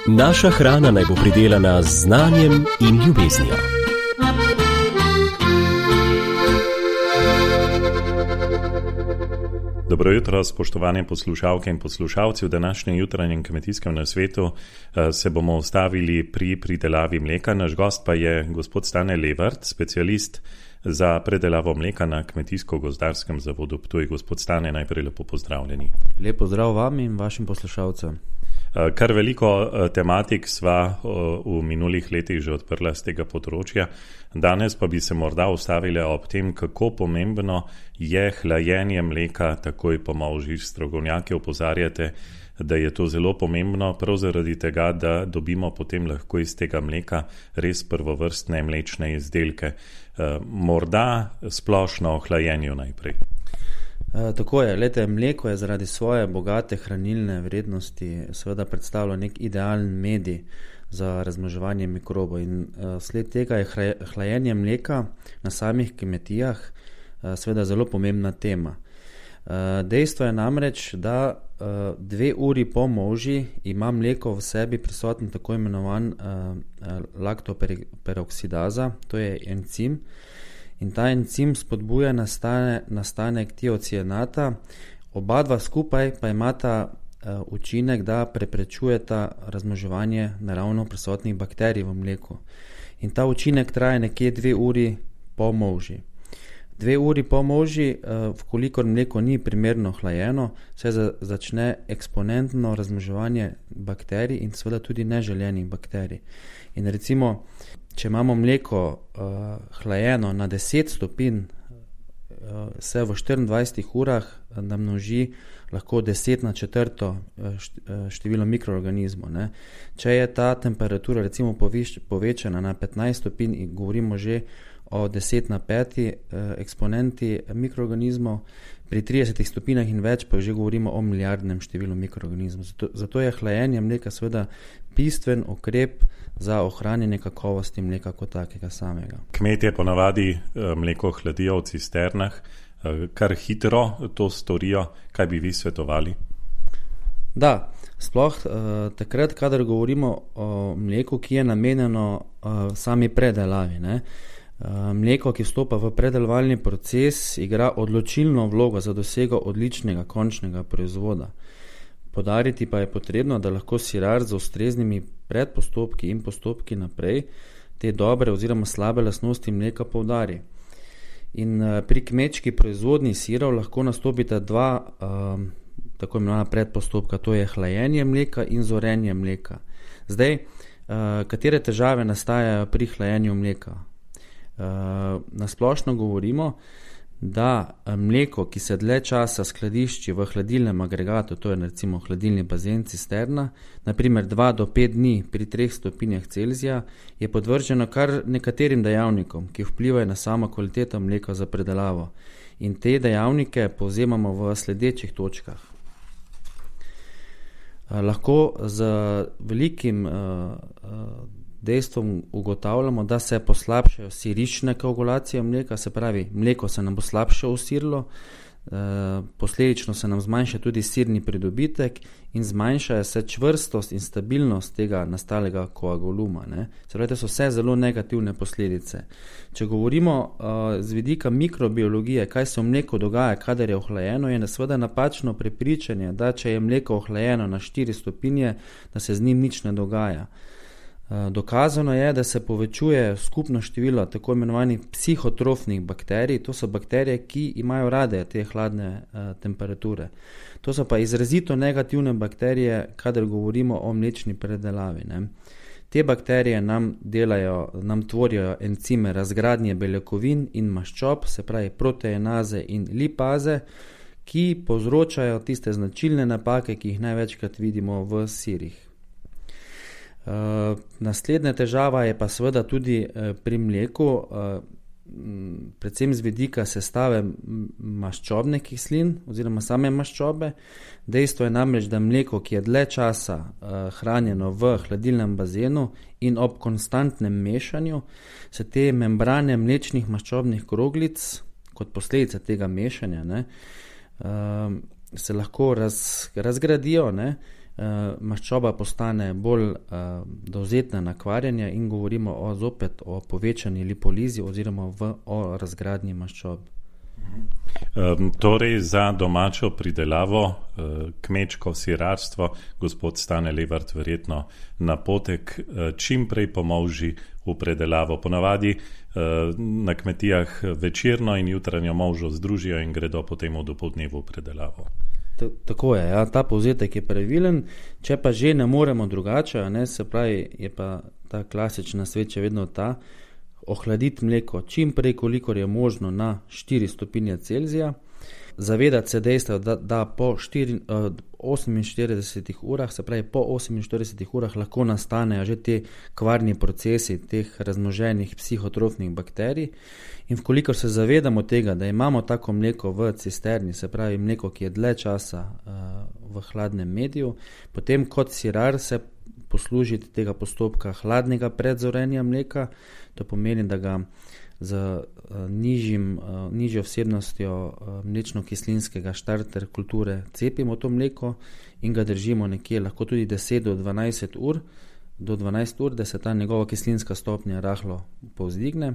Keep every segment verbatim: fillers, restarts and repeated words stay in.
Naša hrana naj bo pridelana z znanjem in ljubeznijo. Dobro jutro, spoštovane poslušalke in poslušalci. V današnjem jutranjem kmetijskem nasvetu se bomo ustavili pri pridelavi mleka. Naš gost pa je gospod Stane Levart, specialist za predelavo mleka na Kmetijsko-gozdarskem zavodu Ptuj. Gospod Stane, najprej lepo pozdravljeni. Lep pozdrav vam in vašim poslušalcem. Kar veliko tematik sva v minulih letih že odprla z tega področja. Danes pa bi se morda ustavili ob tem, kako pomembno je hlajenje mleka takoj po molži. Strokovnjaki opozarjate, da je to zelo pomembno, prav zaradi tega, da dobimo potem lahko iz tega mleka res prvovrstne mlečne izdelke. Morda splošno o hlajenju najprej. E, tako je, lete, mleko je zaradi svoje bogate hranilne vrednosti seveda predstavlja nek idealen medij za razmnoževanje mikrobov in e, sled tega je hlajenje mleka na samih kmetijah e, seveda zelo pomembna tema. E, dejstvo je namreč, da e, dve uri po molži ima mleko v sebi prisoten tako imenovan e, laktoperoksidaza, to je encim, in ta encim spodbuja nastane, nastanek tiocianata, oba dva skupaj pa imata uh, učinek, da preprečujeta razmnoževanje naravno prisotnih bakterij v mleku. In ta učinek traja nekje dve uri po molži. Dve uri po molži, uh, vkolikor mleko ni primerno hlajeno, se za, začne eksponentno razmnoževanje bakterij in seveda tudi neželenih bakterij. In recimo, če imamo mleko uh, hlajeno na deset stopinj, uh, se v štiriindvajsetih urah namnoži lahko deset na četrto število mikroorganizmov. Ne. Če je ta temperatura recimo poviš, povečana na petnajst stopinj in govorimo že o deset na peti uh, eksponenti mikroorganizmov, pri tridesetih stopinjah in več pa že govorimo o milijardnem številu mikroorganizmov. Zato, zato je hlajenje mleka seveda bistven ukrep za ohranjanje kakovosti mleka kot takega samega. Kmetje ponavadi mleko hladijo v cisternah, kar hitro to storijo. Kaj bi vi svetovali? Da, sploh uh, takrat, kadar govorimo o mleku, ki je namenjeno uh, sami predelavi, ne? Mleko, ki vstopa v predelovalni proces, igra odločilno vlogo za dosego odličnega končnega proizvoda. Podariti pa je potrebno, da lahko sirar z ustreznimi predpostopki in postopki naprej te dobre oziroma slabe lastnosti mleka poudari. In pri kmečki proizvodnji sirov lahko nastopita dva um, tako imenovana predpostopka, to je hlajenje mleka in zorenje mleka. Zdaj, uh, katere težave nastajajo pri hlajenju mleka? Uh, nasplošno govorimo, da mleko, ki se dlje časa skladišči v hladilnem agregatu, to je recimo hladilni bazen cisterna, naprimer dva do pet dni pri treh stopinjah Celzija, je podvrženo kar nekaterim dejavnikom, ki vplivajo na samo kvaliteto mleka za predelavo. In te dejavnike povzemamo v sledečih točkah. Uh, lahko z velikim uh, uh, dejstvom ugotavljamo, da se poslabšajo sirične koagulacije mleka, se pravi, mleko se nam bo slabše usirilo, e, posledično se nam zmanjša tudi sirni pridobitek in zmanjšajo se čvrstost in stabilnost tega nastalega koaguluma. Ne. Se pravi, to so vse zelo negativne posledice. Če govorimo e, z vidika mikrobiologije, kaj se v mleku dogaja, kadar je ohlajeno, je seveda napačno prepričanje, da če je mleko ohlajeno na štiri stopinje, da se z njim nič ne dogaja. Dokazano je, da se povečuje skupno število tako imenovanih psihotrofnih bakterij, to so bakterije, ki imajo rade te hladne uh, temperature. To so pa izrazito negativne bakterije, kadar govorimo o mlečni predelavi. Ne. Te bakterije nam delajo, nam tvorijo encime razgradnje beljakovin in maščob, se pravi proteenaze in lipaze, ki povzročajo tiste značilne napake, ki jih največkrat vidimo v sirih. Uh, naslednja težava je pa seveda tudi uh, pri mleku, uh, predvsem z vidika sestave maščobnih kislin oziroma same maščobe. Dejstvo je namreč, da mleko, ki je dlje časa uh, hranjeno v hladilnem bazenu in ob konstantnem mešanju, se te membrane mlečnih maščobnih kroglic kot posledica tega mešanja, ne, uh, se lahko raz, razgradijo, ne, maščoba postane bolj dovzetna na kvarjenje in govorimo o, zopet o povečani lipolizi oziroma v, o razgradnji maščob. Um, torej za domačo pridelavo, uh, kmečko sirarstvo, gospod Stane Levart verjetno napotek uh, čim prej pomolži v predelavo. Ponavadi uh, na kmetijah večerno in jutranjo molžo združijo in gredo potem v dopoldnevu v predelavo. Tako je, ja, ta povzetek je pravilen, če pa že ne moremo drugače, ne, se pravi, je pa ta klasična svet še vedno ta, ohladiti mleko čim prej, kolikor je možno na štiri stopinje Celzija, zavedati se dejstva, da, da po štiri, oseminštiridesetih urah, se pravi po oseminštiridesetih urah lahko nastanejo že te kvarni procesi teh razmnoženih psihotrofnih bakterij in vkolikor se zavedamo tega, da imamo tako mleko v cisterni, se pravi mleko, ki je dlje časa uh, v hladnem mediju, potem kot sirar se poslužiti tega postopka hladnega predzorenja mleka, to pomeni, da ga z uh, nižjim, uh, nižjo vsebnostjo uh, mlečno-kislinskega štarter kulture cepimo to mleko in ga držimo nekje lahko tudi deset do dvanajst ur, do dvanajst ur, da se ta njegova kislinska stopnja rahlo povzdigne.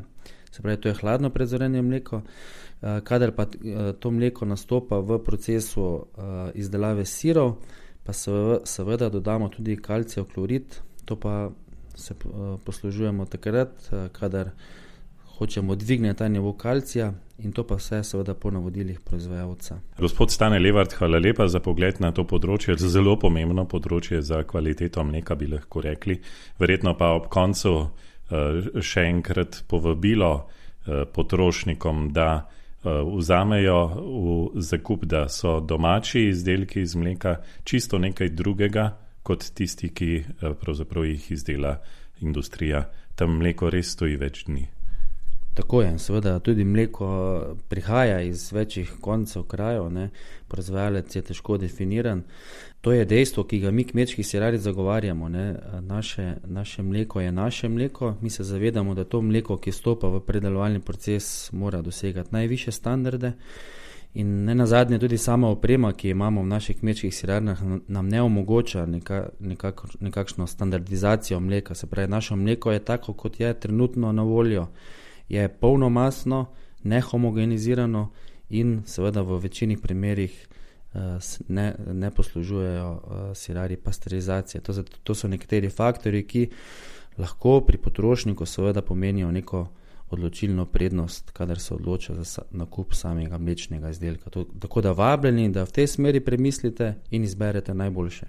Se pravi, to je hladno predzorenje mleko. Uh, kadar pa uh, to mleko nastopa v procesu uh, izdelave sirov, pa seveda dodamo tudi kalcijev klorid, to pa se poslužujemo takrat, kadar hočemo dvigniti ta nivo kalcija in to pa vse seveda po navodilih proizvajalca. Gospod Stane Levart, hvala lepa za pogled na to področje, zelo pomembno področje za kvaliteto mleka, bi lahko rekli. Verjetno pa ob koncu še enkrat povabilo potrošnikom, da vzamejo v zakup, da so domači izdelki iz mleka čisto nekaj drugega, kot tisti, ki pravzaprav jih izdela industrija. Tam mleko res stoji več dni. Tako je, seveda tudi mleko prihaja iz večjih koncev krajev, ne, proizvajalec je težko definiran. To je dejstvo, ki ga mi kmečki sirari zagovarjamo, ne. Naše, naše mleko je naše mleko, mi se zavedamo, da to mleko, ki stopa v predelovalni proces, mora dosegati najvišje standarde in ne nazadnje tudi sama oprema, ki imamo v naših kmečkih sirarnah, nam ne omogoča neka, nekak, nekakšno standardizacijo mleka. Se pravi, naše mleko je tako, kot je trenutno na voljo, je polnomasno, nehomogenizirano in seveda v večini primerih ne, ne poslužujejo sirari pasterizacije. To, to so nekateri faktori, ki lahko pri potrošniku seveda pomenijo neko odločilno prednost, kadar se odloča za nakup samega mlečnega izdelka. To, tako da vabljeni, da v tej smeri premislite in izberete najboljše.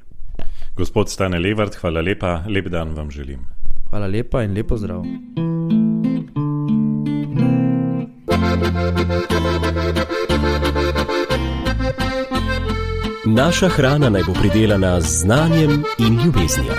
Gospod Stane Levart, hvala lepa, lep dan vam želim. Hvala lepa in lepo zdrav. Naša hrana naj bo pridelana z znanjem in ljubeznijo.